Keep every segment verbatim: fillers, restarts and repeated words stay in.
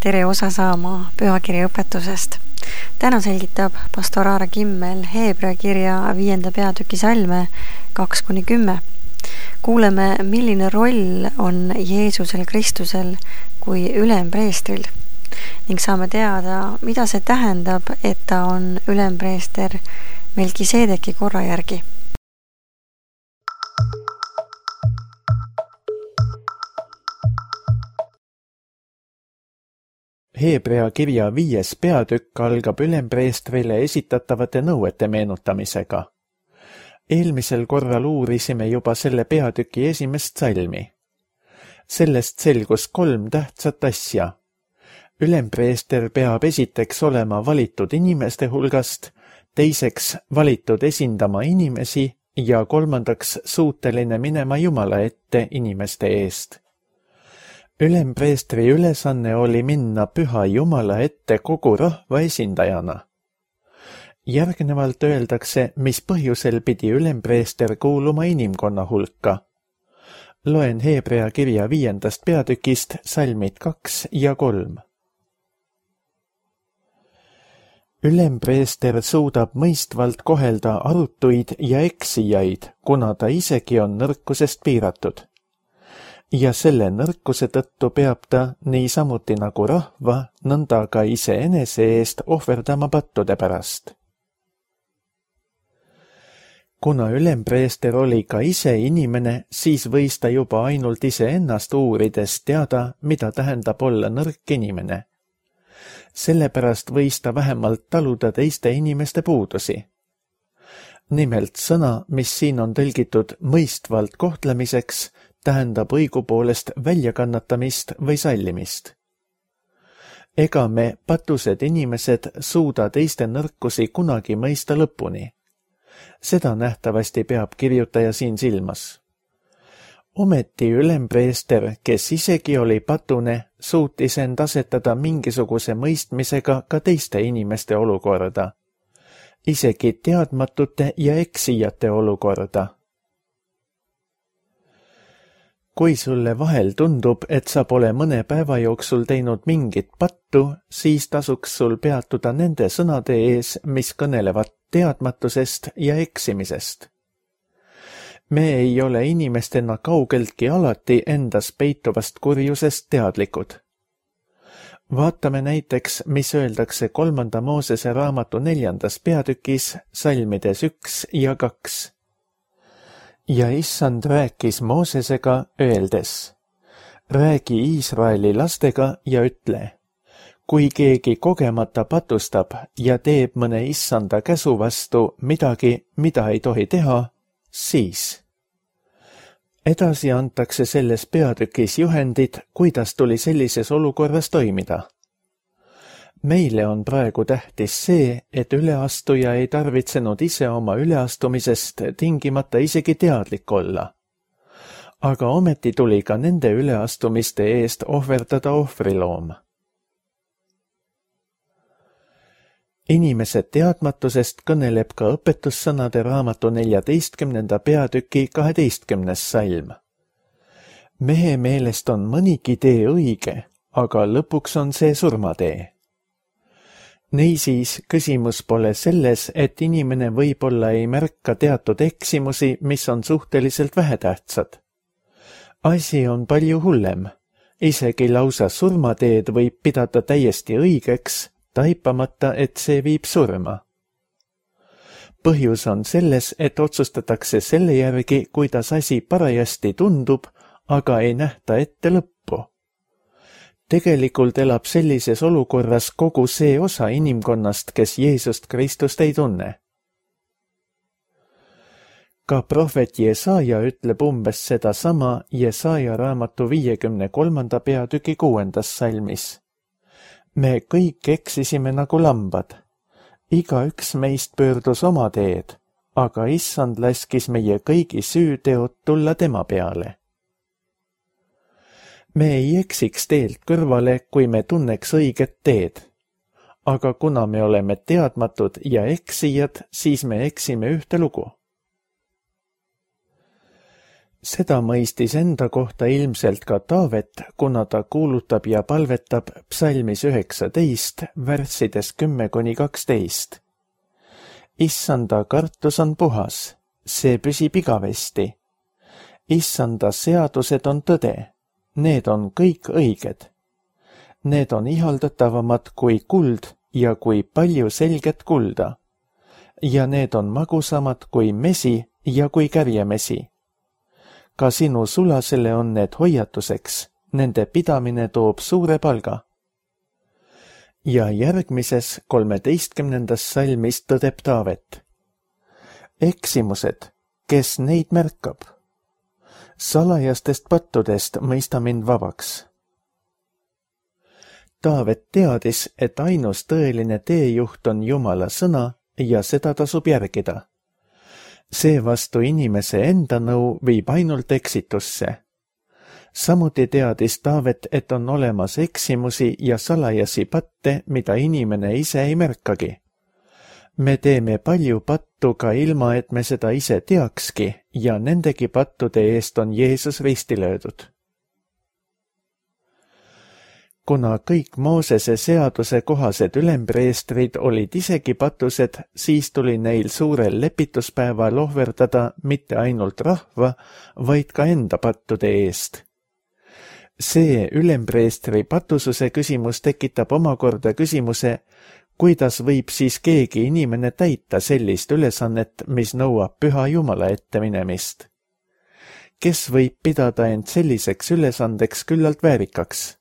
tere osa saama pühakirja õpetusest. Täna selgitab pastor Aare Kimmel Heebrea kirja viienda peatüki salme kaks kuni kümme. Kuuleme, milline roll on Jeesusel Kristusel kui ülempreestril ning saame teada, mida see tähendab, et ta on ülempreester Melkiseedeki korra järgi. Heebrea kirja viies peatükk algab ülempreestrile esitatavate nõuete meenutamisega. Eelmisel korral uurisime juba selle peatüki esimest salmi. Sellest selgus kolm tähtsat asja. Ülempreester peab esiteks olema valitud inimeste hulgast, teiseks valitud esindama inimesi ja kolmandaks suuteline minema Jumala ette inimeste eest. Ülempreestri ülesanne oli minna püha Jumala ette kogu rahva esindajana. Järgnevalt öeldakse, mis põhjusel pidi ülempreester kuuluma inimkonna hulka. Loen Heebrea kirja viiendast peatükist salmid kaks ja kolm. Ülempreester suudab mõistvalt kohelda arutuid ja eksijaid, kuna ta isegi on nõrkusest piiratud. Ja selle nõrkuse tõttu peab ta niisamuti nagu rahva, nõnda ka iseenese eest ohverdama pattude pärast. Kuna ülempreester oli ka ise inimene, siis võis ta juba ainult iseennast uurides teada, mida tähendab olla nõrk inimene. Sellepärast võis ta vähemalt taluda teiste inimeste puudusi. Nimelt sõna, mis siin on tõlgitud mõistvalt kohtlemiseks, tähendab õigupoolest väljakannatamist või sallimist. Ega me, patused inimesed, suuda teiste nõrkusi kunagi mõista lõpuni. Seda nähtavasti peab kirjutaja siin silmas. Ometi ülempreester, kes isegi oli patune, suutis end asetada mingisuguse mõistmisega ka teiste inimeste olukorda, isegi teadmatute ja eksijate olukorda. Kui sulle vahel tundub, et sa pole mõne päeva jooksul teinud mingit pattu, siis tasuks sul peatuda nende sõnade ees, mis kõnelevad teadmatusest ja eksimisest. Me ei ole inimestena kaugeltki alati endas peituvast kurjusest teadlikud. Vaatame näiteks, mis öeldakse kolmanda Moosese raamatu neljandas peatükis salmides üks ja kaks. Ja issand rääkis Moosesega öeldes, räägi Iisraeli lastega ja ütle, kui keegi kogemata patustab ja teeb mõne issanda käsu vastu midagi, mida ei tohi teha, siis. Edasi antakse selles peatükis juhendid, kuidas tuli sellises olukorras toimida. Meile on praegu tähtis see, et üleastuja ei tarvitsenud ise oma üleastumisest tingimata isegi teadlik olla. Aga ometi tuli ka nende üleastumiste eest ohverdada ohvriloom. Inimese teadmatusest kõneleb ka õpetussõnade raamatu neljateistkümnenda peatüki kaheteistkümnes salm. Mehe meelest on mõnigi tee õige, aga lõpuks on see surmatee. Niisiis, küsimus pole selles, et inimene võib-olla ei märka teatud eksimusi, mis on suhteliselt vähetähtsad. Asi on palju hullem. Isegi lausa surmateed võib pidada täiesti õigeks, taipamata, et see viib surma. Põhjus on selles, et otsustatakse selle järgi, kuidas asi parajasti tundub, aga ei nähta ette lõppu. Tegelikult elab sellises olukorras kogu see osa inimkonnast, kes Jeesust Kristust ei tunne. Ka prohvet Jesaja ütleb umbes seda sama Jesaja raamatu viiekümne kolmanda peatüki kuuendas salmis. Me kõik eksisime nagu lambad. Igaüks meist pöördus oma teed, aga issand laskis meie kõigi süüteod tulla tema peale. Me ei eksiks teelt kõrvale, kui me tunneks õiget teed. Aga kuna me oleme teadmatud ja eksijad, siis me eksime ühte lugu. Seda mõistis enda kohta ilmselt ka Taavet, kuna ta kuulutab ja palvetab psalmis üheksateist, värssides kümme kuni kaksteist. Issanda kartus on puhas, see püsib igavesti. Issanda seadused on tõde, need on kõik õiged. Need on ihaldatavamad kui kuld ja kui palju selget kulda. Ja need on magusamad kui mesi ja kui kärjemesi. Ka sinu sulasele on need hoiatuseks, nende pidamine toob suure palga. Ja järgmises kolmeteistkümnendas salmis tõdeb Taavet. Eksimused, kes neid märkab? Salajastest pattudest mõista mind vabaks. Taavet teadis, et ainus tõeline teejuht on Jumala sõna ja seda tasub järgida. Seevastu inimese enda nõu viib ainult eksitusse. Samuti teadis Taavet, et on olemas eksimusi ja salajasi patte, mida inimene ise ei märkagi. Me teeme palju pattu ka ilma, et me seda ise teakski ja nendegi pattude eest on Jeesus risti löödud. Kuna kõik Moosese seaduse kohased ülempreestrid olid isegi patused, siis tuli neil suurel lepituspäeval ohverdada mitte ainult rahva, vaid ka enda pattude eest. See ülempreestri patususe küsimus tekitab omakorda küsimuse, kuidas võib siis keegi inimene täita sellist ülesannet, mis nõuab püha Jumala ette minemist. Kes võib pidada end selliseks ülesandeks küllalt väärikaks?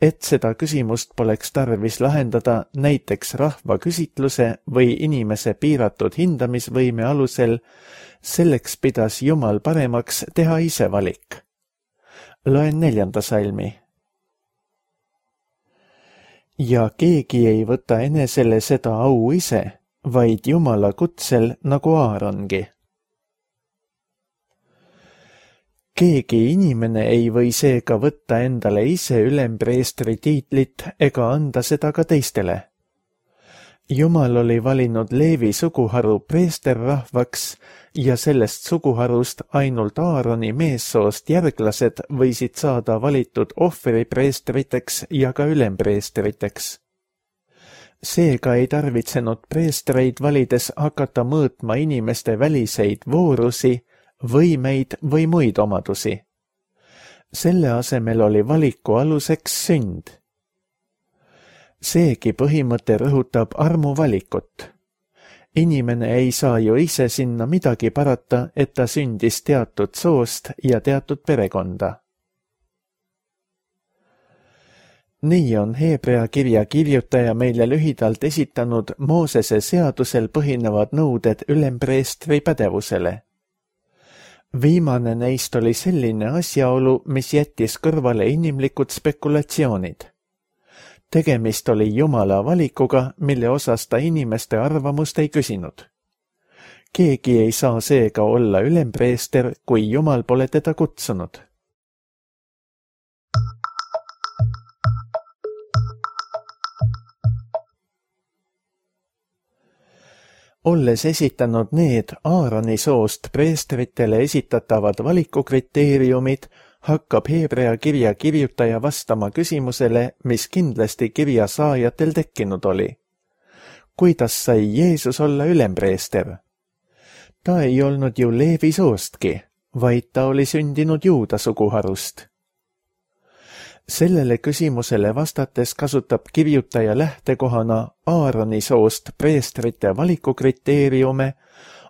Et seda küsimust poleks tarvis lahendada näiteks rahva küsitluse või inimese piiratud hindamisvõime alusel, selleks pidas Jumal paremaks teha ise valik. Loen neljanda salmi. Ja keegi ei võta enesele seda au ise, vaid Jumala kutsel nagu Aarongi. Keegi inimene ei või seega võtta endale ise ülempreestri tiitlit ega anda seda ka teistele. Jumal oli valinud Leevi suguharu preesterrahvaks ja sellest suguharust ainult Aaroni meessoost järglased võisid saada valitud ohvripreestriteks ja ka ülempreestriteks. Seega ei tarvitsenud preestreid valides hakata mõõtma inimeste väliseid voorusi, võimeid või muid omadusi. Selle asemel oli valiku aluseks sünd. Seegi põhimõte rõhutab armu valikut. Inimene ei saa ju ise sinna midagi parata, et ta sündis teatud soost ja teatud perekonda. Nii on Heebrea kirja kirjutaja meile lühidalt esitanud Moosese seadusel põhinevad nõuded ülempreestri pädevusele. Viimane neist oli selline asjaolu, mis jättis kõrvale inimlikud spekulatsioonid. Tegemist oli Jumala valikuga, mille osas ta inimeste arvamust ei küsinud. Keegi ei saa seega olla ülempreester, kui Jumal pole teda kutsunud. Olles esitanud need Aaroni soost preestritele esitatavad valikukriteeriumid, hakkab Heebrea kirja kirjutaja vastama küsimusele, mis kindlasti kirja saajatel tekkinud oli. Kuidas sai Jeesus olla ülempreester? Ta ei olnud ju Leevi soostki, vaid ta oli sündinud Juuda suguharust. Sellele küsimusele vastates kasutab kirjutaja lähtekohana Aaroni soost preestrite valikukriteeriume,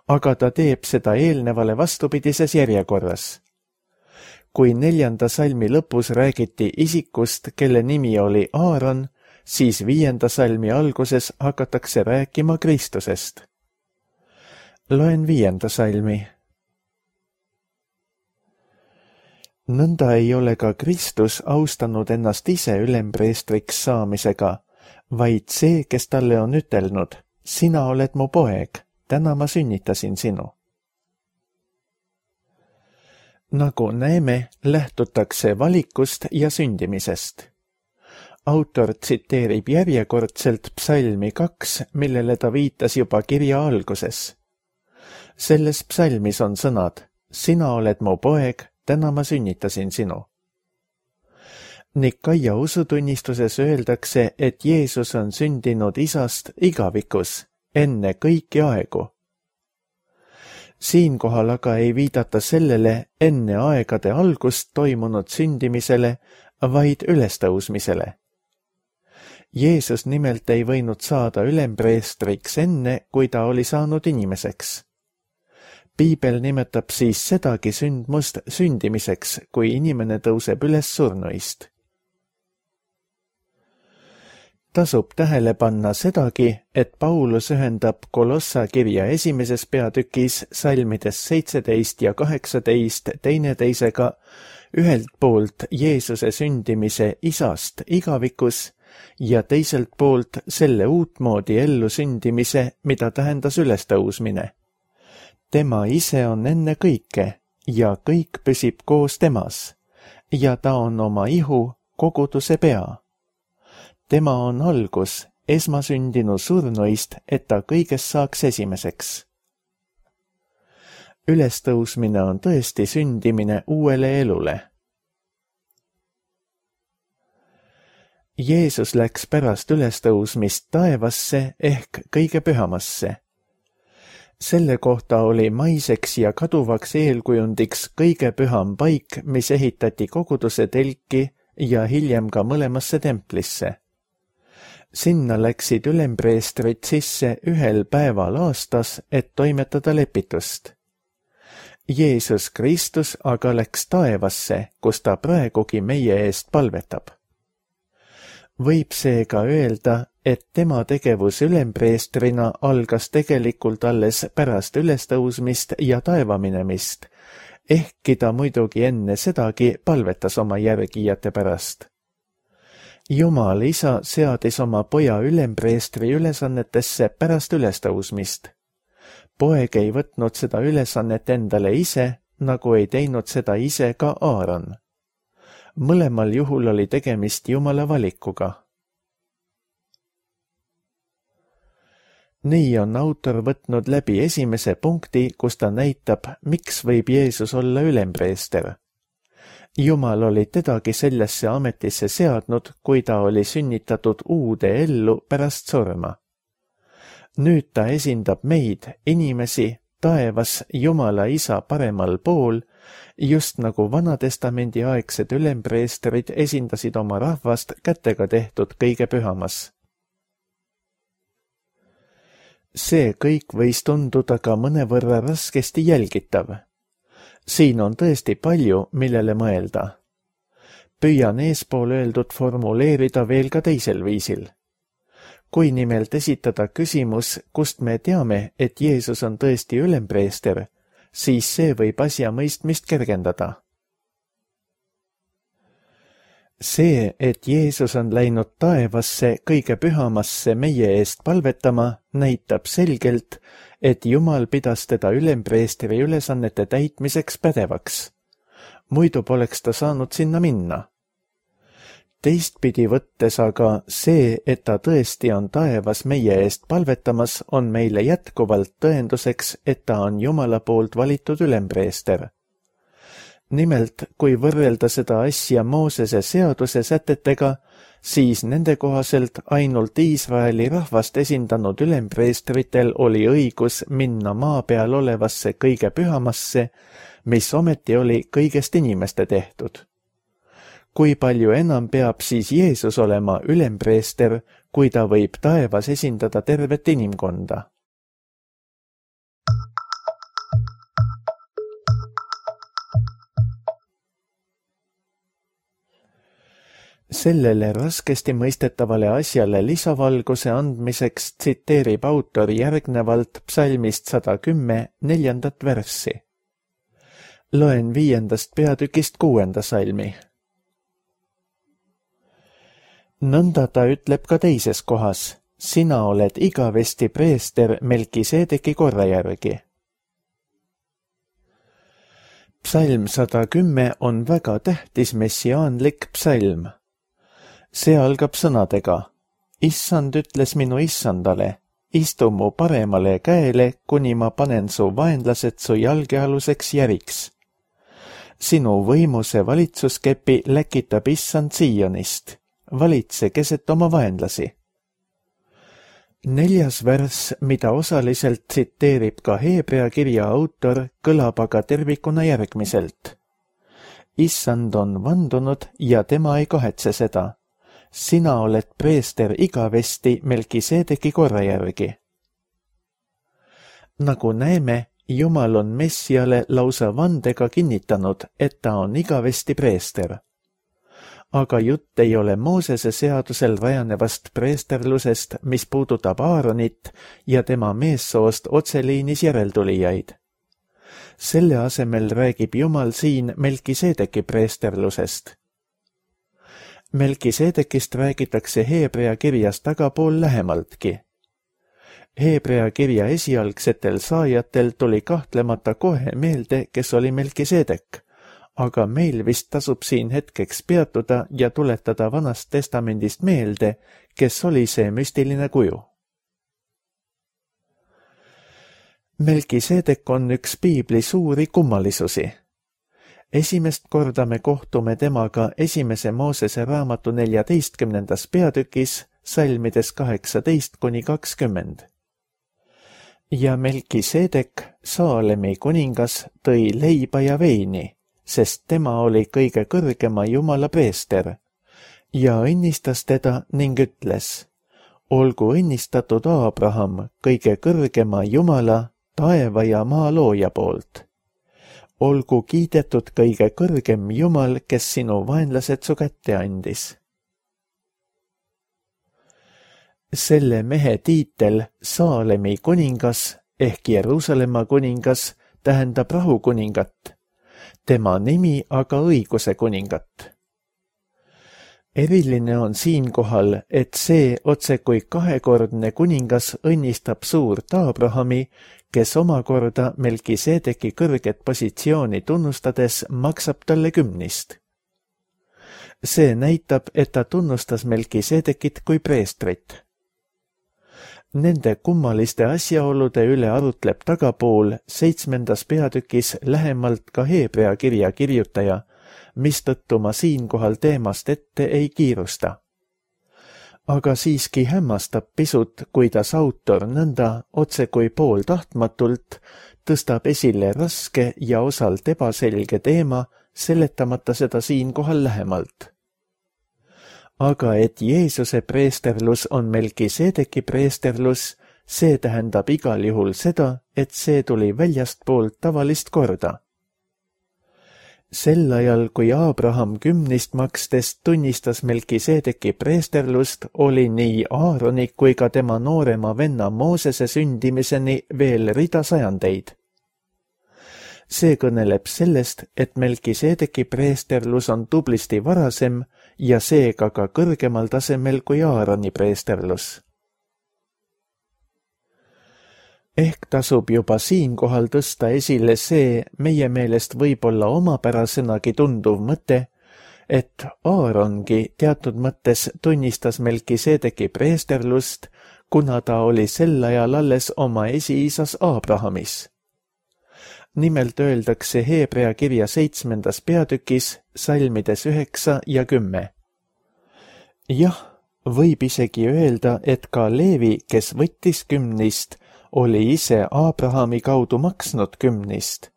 aga ta teeb seda eelnevale vastupidises järjekorras. Kui neljanda salmi lõpus räägiti isikust, kelle nimi oli Aaron, siis viienda salmi alguses hakatakse rääkima Kristusest. Loen viienda salmi. Nõnda ei ole ka Kristus austanud ennast ise ülempreestriks saamisega, vaid see, kes talle on ütelnud, sina oled mu poeg, täna ma sünnitasin sinu. Nagu näeme, lähtutakse valikust ja sündimisest. Autor tsiteerib järjekordselt psalmi kaks, millele ta viitas juba kirja alguses. Selles psalmis on sõnad, sina oled mu poeg, täna ma sünnitasin sinu. Nikaia usutunnistuses öeldakse, et Jeesus on sündinud isast igavikus, enne kõiki aegu. Siinkohal aga ei viidata sellele enne aegade algust toimunud sündimisele, vaid ülestõusmisele. Jeesus nimelt ei võinud saada ülempreestriks enne, kui ta oli saanud inimeseks. Piibel nimetab siis sedagi sündmust sündimiseks, kui inimene tõuseb üles surnuist. Tasub tähele panna sedagi, et Paulus ühendab Kolossa kirja esimeses peatükis salmides seitseteist ja kaheksateist teineteisega ühelt poolt Jeesuse sündimise isast igavikus ja teiselt poolt selle uutmoodi ellu sündimise, mida tähendas ülestõusmine. Tema ise on enne kõike ja kõik püsib koos temas ja ta on oma ihu koguduse pea. Tema on algus, esmasündinu surnuist, et ta kõigest saaks esimeseks. Ülestõusmine on tõesti sündimine uuele elule. Jeesus läks pärast ülestõusmist taevasse ehk kõige pühamasse. Selle kohta oli maiseks ja kaduvaks eelkujundiks kõige püham paik, mis ehitati koguduse telki ja hiljem ka mõlemasse templisse. Sinna läksid ülempreestrid sisse ühel päeval aastas, et toimetada lepitust. Jeesus Kristus aga läks taevasse, kus ta praegugi meie eest palvetab. Võib seega öelda, et tema tegevus ülempreestrina algas tegelikult alles pärast ülestõusmist ja taevaminemist, ehkki ta muidugi enne sedagi palvetas oma järgijate pärast. Jumal isa seadis oma poja ülempreestri ülesannetesse pärast ülestõusmist. Poeg ei võtnud seda ülesannet endale ise, nagu ei teinud seda ise ka Aaron. Mõlemal juhul oli tegemist Jumala valikuga. Nii on autor võtnud läbi esimese punkti, kus ta näitab, miks võib Jeesus olla ülempreester. Jumal oli tedagi sellesse ametisse seadnud, kui ta oli sünnitatud uude ellu pärast surma. Nüüd ta esindab meid, inimesi, taevas Jumala isa paremal pool, just nagu Vanatestamendi aegsed ülempreestrid esindasid oma rahvast kätega tehtud kõige pühamas. See kõik võis tunduda ka mõnevõrra raskesti jälgitav. Siin on tõesti palju, millele mõelda. Püüan eespool öeldud formuleerida veel ka teisel viisil. Kui nimelt esitada küsimus, kust me teame, et Jeesus on tõesti ülempreester, siis see võib asja mõistmist kergendada. See, et Jeesus on läinud taevasse kõige pühamasse meie eest palvetama, näitab selgelt, et Jumal pidas teda ülempreestri ülesannete täitmiseks pädevaks. Muidu poleks ta saanud sinna minna. Teistpidi võttes aga see, et ta tõesti on taevas meie eest palvetamas, on meile jätkuvalt tõenduseks, et ta on Jumala poolt valitud ülempreester. Nimelt, kui võrrelda seda asja Moosese seaduse sätetega, siis nende kohaselt ainult Iisraeli rahvast esindanud ülempreestritel oli õigus minna maa peal olevasse kõige pühamasse, mis ometi oli kõigest inimeste tehtud. Kui palju enam peab siis Jeesus olema ülempreester, kui ta võib taevas esindada tervet inimkonda? Sellele raskesti mõistetavale asjale lisavalguse andmiseks tsiteerib autor järgnevalt psalmist sada kümme neljandat värssi. Loen viiendast peatükist kuuenda salmi. Nõnda ta ütleb ka teises kohas, sina oled igavesti preester Melkiseedeki korra järgi. Psalm sada kümme on väga tähtis messiaanlik psalm. See algab sõnadega, issand ütles minu issandale, istu mu paremale käele, kuni ma panen su vaenlased su jalgealuseks järiks. Sinu võimuse valitsuskepi läkitab issand Siionist, valitse keset oma vaenlasi. Neljas värss, mida osaliselt tsiteerib ka Heebrea kirja autor, kõlab aga tervikuna järgmiselt. Issand on vandunud ja tema ei kahetse seda. Sina oled preester igavesti Melkiseedeki korra järgi. Nagu näeme, Jumal on Messiale lausa vandega kinnitanud, et ta on igavesti preester. Aga jutt ei ole Moosese seadusel rajanevast preesterlusest, mis puudutab Aaronit ja tema meessoost otseliinis järeltulijaid. Selle asemel räägib Jumal siin Melkiseedeki preesterlusest. Melkiseedekist räägitakse Heebrea kirjas tagapool lähemaltki. Heebrea kirja esialgsetel saajatel tuli kahtlemata kohe meelde, kes oli Melkiseedek, aga meil vist tasub siin hetkeks peatuda ja tuletada Vanast testamendist meelde, kes oli see müstiline kuju. Melkiseedek on üks piibli suuri kummalisusi. Esimest korda me kohtume temaga esimese Moosese raamatu neljateistkümnendas peatükis, salmides kaheksateist kuni kakskümmend. Ja Melkiseedek, Saalemi kuningas, tõi leiba ja veini, sest tema oli kõige kõrgema Jumala preester, ja õnnistas teda ning ütles, olgu õnnistatud Aabraham, kõige kõrgema Jumala, taeva ja maa looja poolt. Olgu kiidetud kõige kõrgem Jumal, kes sinu vaenlased su kätte andis. Selle mehe tiitel Saalemi kuningas ehk Jeruusalemma kuningas tähendab rahukuningat, tema nimi aga õiguse kuningat. Eriline on siinkohal, et see otse kui kahekordne kuningas õnnistab suurt Aabrahami, kes omakorda Melkiseedeki kõrget positsiooni tunnustades maksab talle kümnist. See näitab, et ta tunnustas Melkiseedekit kui preestrit. Nende kummaliste asjaolude üle arutleb tagapool seitsmendas peatükis lähemalt ka Heebrea kirja kirjutaja, mistõttu ma siinkohal teemast ette ei kiirusta. Aga siiski hämmastab pisut, kuidas autor nõnda otse kui pool tahtmatult tõstab esile raske ja osalt ebaselge teema, seletamata seda siinkohal lähemalt. Aga et Jeesuse preesterlus on Melkiseedeki preesterlus, see tähendab igal juhul seda, et see tuli väljastpoolt tavalist korda. Sel ajal, kui Aabraham kümnist makstes tunnistas Melkiseedeki preesterlust, oli nii Aaroni kui ka tema noorema venna Moosese sündimiseni veel rida sajandeid. See kõneleb sellest, et Melkiseedeki preesterlus on tublisti varasem ja seega ka kõrgemal tasemel kui Aaroni preesterlus. Ehk tasub juba siinkohal tõsta esile see meie meelest võib-olla omapärasenagi tunduv mõte, et Aarongi teatud mõttes tunnistas Melkiseedeki preesterlust, kuna ta oli sel ajal alles oma esiisas Aabrahamis. Nimelt öeldakse Heebrea kirja seitsmendas peatükis, salmides üheksa ja kümme. Jah, võib isegi öelda, et ka Leevi, kes võttis kümnist, oli ise Aabrahami kaudu maksnud kümnist,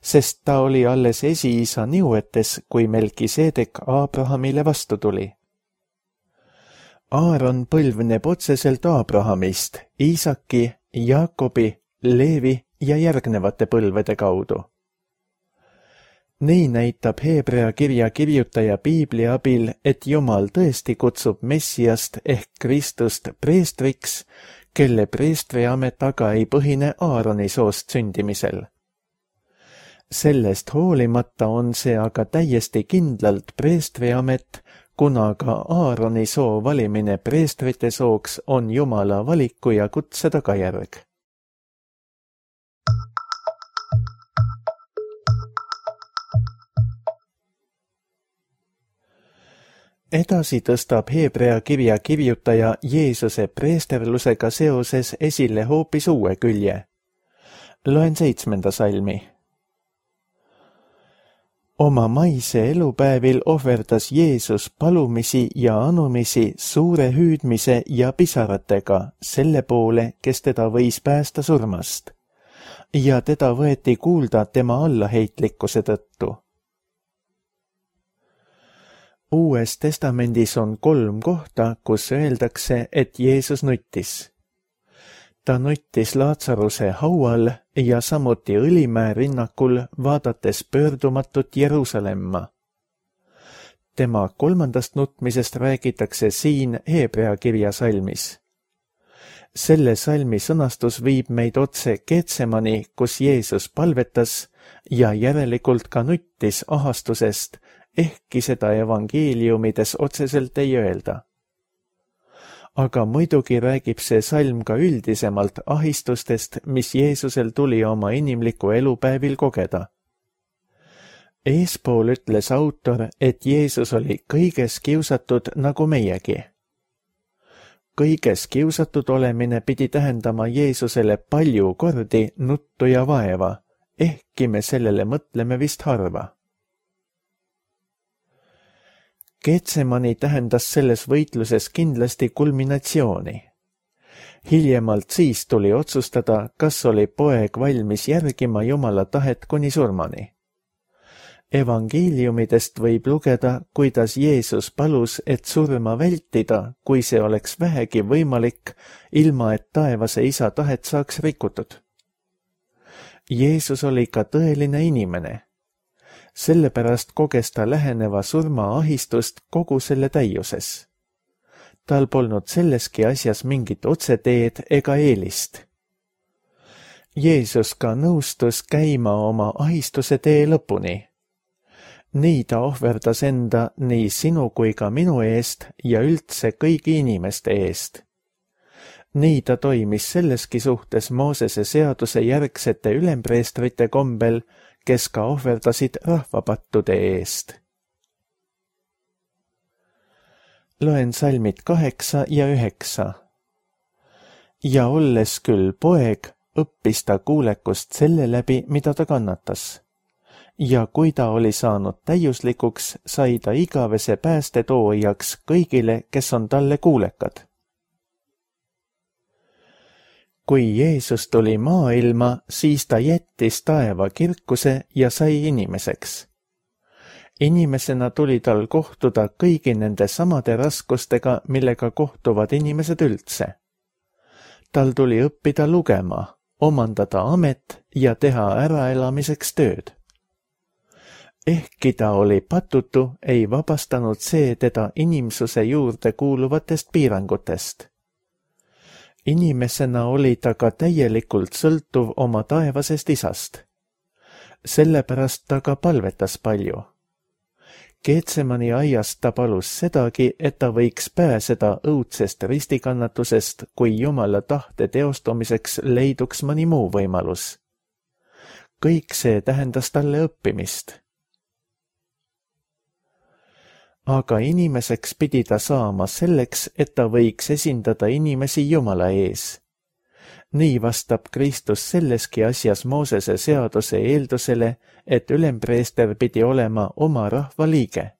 sest ta oli alles esiisa niuetes, kui Melkiseedek Aabrahamile vastu tuli. Aaron põlvneb otseselt Aabrahamist, Iisaki, Jaakobi, Leevi ja järgnevate põlvede kaudu. Nii näitab Heebrea kirja kirjutaja piibli abil, et Jumal tõesti kutsub Messiast ehk Kristust preestriks, kelle preestriamet aga ei põhine Aaroni soost sündimisel. Sellest hoolimata on see aga täiesti kindlalt preestriamet, kuna ka Aaroni soo valimine preestrite sooks on Jumala valiku ja kutse tagajärg. edasi tõstab Hebrea kirja kirjutaja Jeesuse preesterlusega seoses esile hoopis uue külje. Loen seitsmenda salmi. Oma maise elupäevil ohverdas Jeesus palumisi ja anumisi suure hüüdmise ja pisaratega selle poole, kes teda võis päästa surmast, ja teda võeti kuulda tema allaheitlikkuse tõttu. Uues testamendis on kolm kohta, kus öeldakse, et Jeesus nuttis. Ta nuttis Laatsaruse haual ja samuti Õlimäe rinnakul, vaadates pöördumatut Jeruusalemma. Tema kolmandast nutmisest räägitakse siin Hebrea kirja salmis. Selle salmi sõnastus viib meid otse Getsemani, kus Jeesus palvetas ja järelikult ka nuttis ahastusest, ehkki seda evangeeliumides otseselt ei öelda. Aga muidugi räägib see salm ka üldisemalt ahistustest, mis Jeesusel tuli oma inimliku elupäevil kogeda. Eespool ütles autor, et Jeesus oli kõiges kiusatud nagu meiegi. Kõiges kiusatud olemine pidi tähendama Jeesusele palju kordi nuttu ja vaeva, ehkki me sellele mõtleme vist harva. Getsemani tähendas selles võitluses kindlasti kulminatsiooni. Hiljemalt siis tuli otsustada, kas oli poeg valmis järgima Jumala tahet kuni surmani. Evangeeliumidest võib lugeda, kuidas Jeesus palus, et surma vältida, kui see oleks vähegi võimalik, ilma et taevase isa tahet saaks rikutud. Jeesus oli ka tõeline inimene. Sellepärast koges ta läheneva surma ahistust kogu selle täiuses. Tal polnud selleski asjas mingit otseteed ega eelist. Jeesus ka nõustus käima oma ahistuse tee lõpuni. Nii ta ohverdas enda nii sinu kui ka minu eest ja üldse kõigi inimeste eest. Nii ta toimis selleski suhtes Moosese seaduse järgsete ülempreestrite kombel, kes ka ohverdasid rahvapattude eest. Loen salmid kaheksa ja üheksa. Ja olles küll poeg, õppis ta kuulekust selle läbi, mida ta kannatas. Ja kui ta oli saanud täiuslikuks, sai ta igavese pääste toojaks kõigile, kes on talle kuulekad. Kui Jeesus tuli maailma, siis ta jättis taeva kirkuse ja sai inimeseks. Inimesena tuli tal kohtuda kõigi nende samade raskustega, millega kohtuvad inimesed üldse. Tal tuli õppida lugema, omandada amet ja teha äraelamiseks tööd. Ehkki ta oli patutu, ei vabastanud see teda inimsuse juurde kuuluvatest piirangutest. Inimesena oli ta ka täielikult sõltuv oma taevasest isast. Sellepärast ta ka palvetas palju. Getsemani aiast ta palus sedagi, et ta võiks pääseda õudsest ristikannatusest, kui Jumala tahte teostumiseks leiduks mõni muu võimalus. Kõik see tähendas talle õppimist. Aga inimeseks pidi ta saama selleks, et ta võiks esindada inimesi Jumala ees. Nii vastab Kristus selleski asjas Moosese seaduse eeldusele, et ülempreester pidi olema oma rahva liige.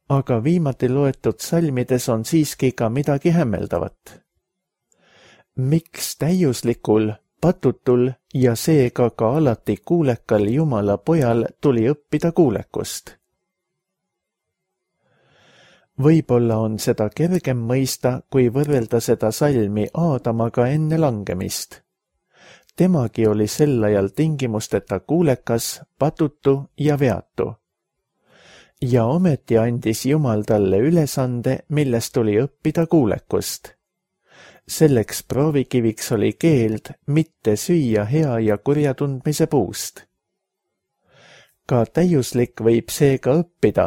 Aga viimati loetud salmides on siiski ka midagi hämmeldavat. Miks täiuslikul, patutul ja seega ka alati kuulekal Jumala pojal tuli õppida kuulekust? Võib-olla on seda kergem mõista, kui võrrelda seda salmi Aadamaga enne langemist. Temagi oli sel ajal tingimusteta kuulekas, patutu ja veatu. Ja ometi andis Jumal talle ülesande, millest tuli õppida kuulekust. Selleks proovikiviks oli keeld mitte süüa hea ja kurja tundmise puust. Ka täiuslik võib seega õppida,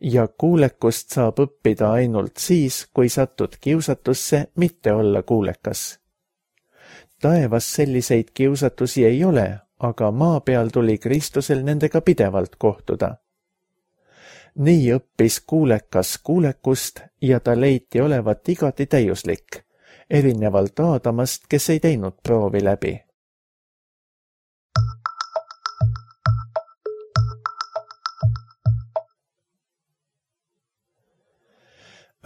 ja kuulekust saab õppida ainult siis, kui satud kiusatusse mitte olla kuulekas. Taevas selliseid kiusatusi ei ole, aga maa peal tuli Kristusel nendega pidevalt kohtuda. Nii õppis kuulekas kuulekust ja ta leiti olevat igati täiuslik, erinevalt Aadamast, kes ei teinud proovi läbi.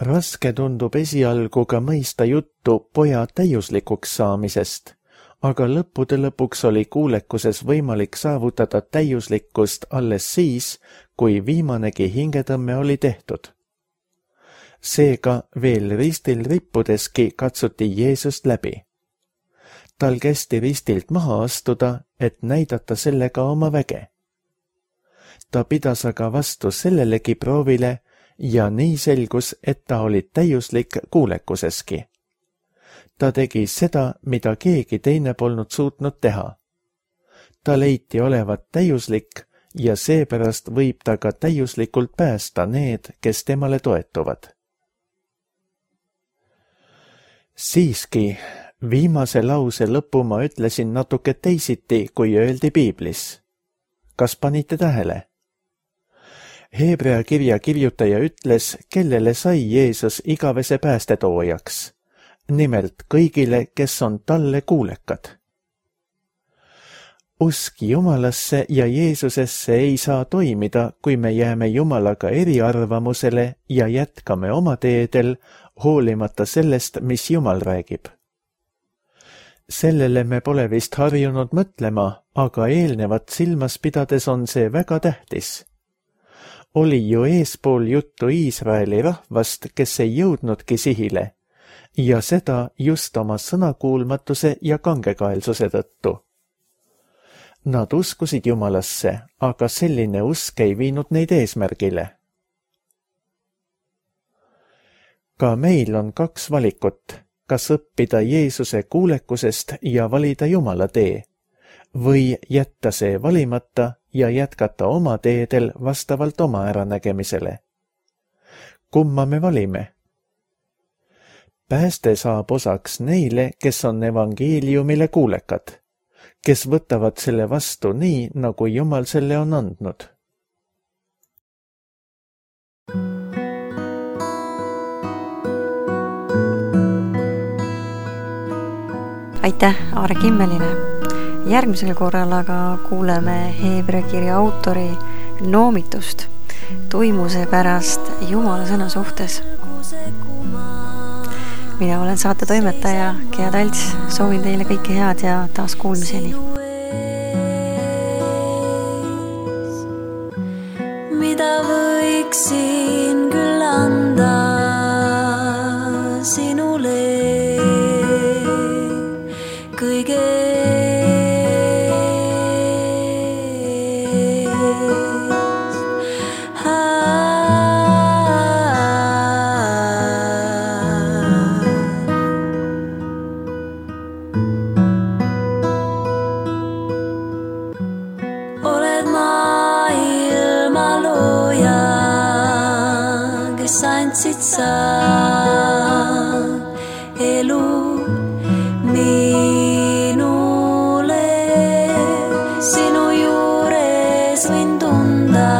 Raske tundub esialgu ka mõista juttu poja täiuslikuks saamisest, aga lõppude lõpuks oli kuulekuses võimalik saavutada täiuslikkust alles siis, kui viimanegi hingetõmme oli tehtud. Seega veel ristil rippudeski katsuti Jeesust läbi. Tal kästi ristilt maha astuda, et näidata sellega oma väge. Ta pidas aga vastu sellelegi proovile ja nii selgus, et ta oli täiuslik kuulekuseski. Ta tegi seda, mida keegi teine polnud suutnud teha. Ta leiti olevat täiuslik ja seepärast võib ta ka täiuslikult päästa need, kes temale toetuvad. Siiski, viimase lause lõpu ma ütlesin natuke teisiti, kui öeldi Piiblis. Kas panite tähele? Heebrea kirja kirjutaja ütles, kellele sai Jeesus igavese päästetoojaks. Nimelt kõigile, kes on talle kuulekad. Usk Jumalasse ja Jeesusesse ei saa toimida, kui me jääme Jumalaga eriarvamusele ja jätkame oma teedel, hoolimata sellest, mis Jumal räägib. Sellele me pole vist harjunud mõtlema, aga eelnevat silmas pidades on see väga tähtis. Oli ju eespool juttu Iisraeli rahvast, kes ei jõudnudki sihile, ja seda just oma sõnakuulmatuse ja kangekaelsuse tõttu. Nad uskusid Jumalasse, aga selline usk ei viinud neid eesmärgile. Ka meil on kaks valikut, kas õppida Jeesuse kuulekusest ja valida Jumala tee, või jätta see valimata ja jätkata oma teedel vastavalt oma äranägemisele. Kumma me valime? Pääste saab osaks neile, kes on evangeeliumile kuulekad, kes võtavad selle vastu nii, nagu Jumal selle on andnud. Aitäh Aare Kimmelile! Järgmisel korral aga kuuleme Heebrea kirja autori noomitust tuimuse pärast Jumala sõna suhtes. Mina olen saate toimetaja Gea Talts, soovin teile kõike head ja taas kuulmiseni. Mida võiksin küll anda sinule kõige andsid sa elu minule, sinu juures võin tunda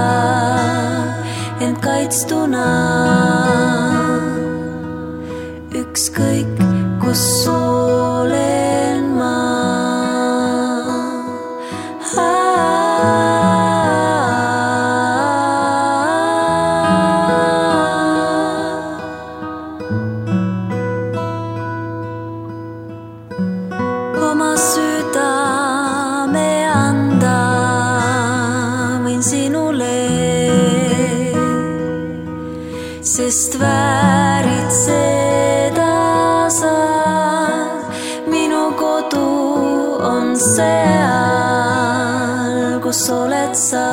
end kaitstuna, ükskõik kus olen ma. Sest väärid seda sa, minu kodu on seal, kus oled sa.